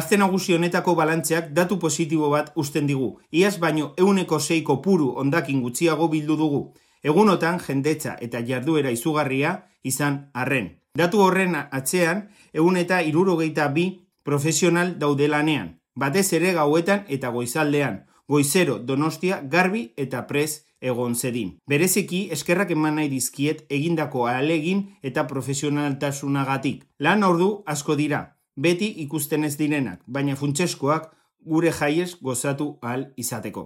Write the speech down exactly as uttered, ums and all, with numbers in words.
Aste nagusi honetako balantzeak datu positibo bat uzten digu. Iaz baino ehuneko sei kopuru hondakin gutxiago bildu dugu. Egunotan jendetza eta jarduera izugarria izan arren. Datu horren atzean ehun eta hirurogeita bi profesional daude lanean. Batez ere gauetan eta goizaldean. Goizero Donostia garbi eta prez egon zedin. Bereziki eskerrak eman nahi dizkiet egindako ahalegin eta profesionaltasunagatik. Lan ordu asko dira. Beti ikusten ez direnak, baina funtseskoak gure jaiez gozatu ahal izateko.